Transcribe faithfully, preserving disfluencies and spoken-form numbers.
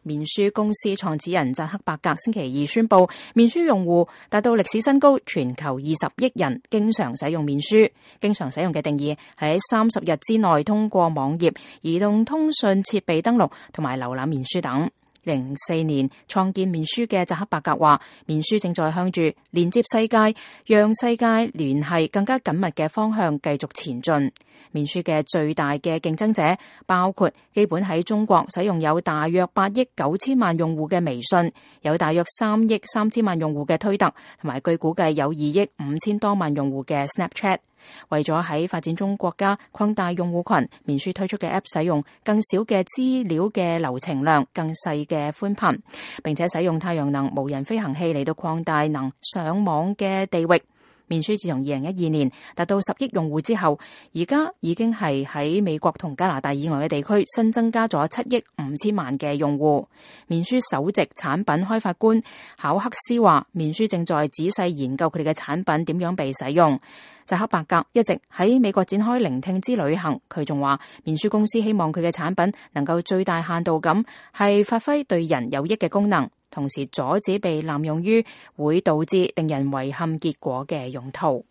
面書公司創始人扎克伯格星期二宣布，面書用戶達到歷史新高，全球二十億人經常使用面書。經常使用嘅定義係喺三十日之內通過網頁、移動通訊設備登錄同埋瀏覽面書等。零四年創建面書嘅扎克伯格話，面書正在向住連接世界、讓世界聯繫更加緊密嘅方向繼續前進。面書嘅最大嘅競爭者包括基本喺中國使用有大約八億九千萬用戶嘅微信，有大約三億三千萬用戶嘅推特，同埋據估計有二億五千多萬用戶嘅 Snapchat。為咗喺發展中國家擴大用戶群，面書推出嘅 App 使用更少嘅資料嘅流程量、更細嘅寬頻，並且使用太陽能無人飛行器嚟到擴大能上網嘅地域。面書自從二零一二年達到十億用戶之後，而家已經係喺美國同加拿大以外嘅地區新增加咗七億五千萬嘅用戶。面書首席產品開發官考克斯話，面書正在仔細研究佢哋嘅產品點樣被使用。扎克伯格一直喺美國展開聆聽之旅行，佢仲話面書公司希望佢嘅產品能夠最大限度咁係發揮對人有益嘅功能，同時阻止被濫用於會導致令人遺憾結果嘅用途。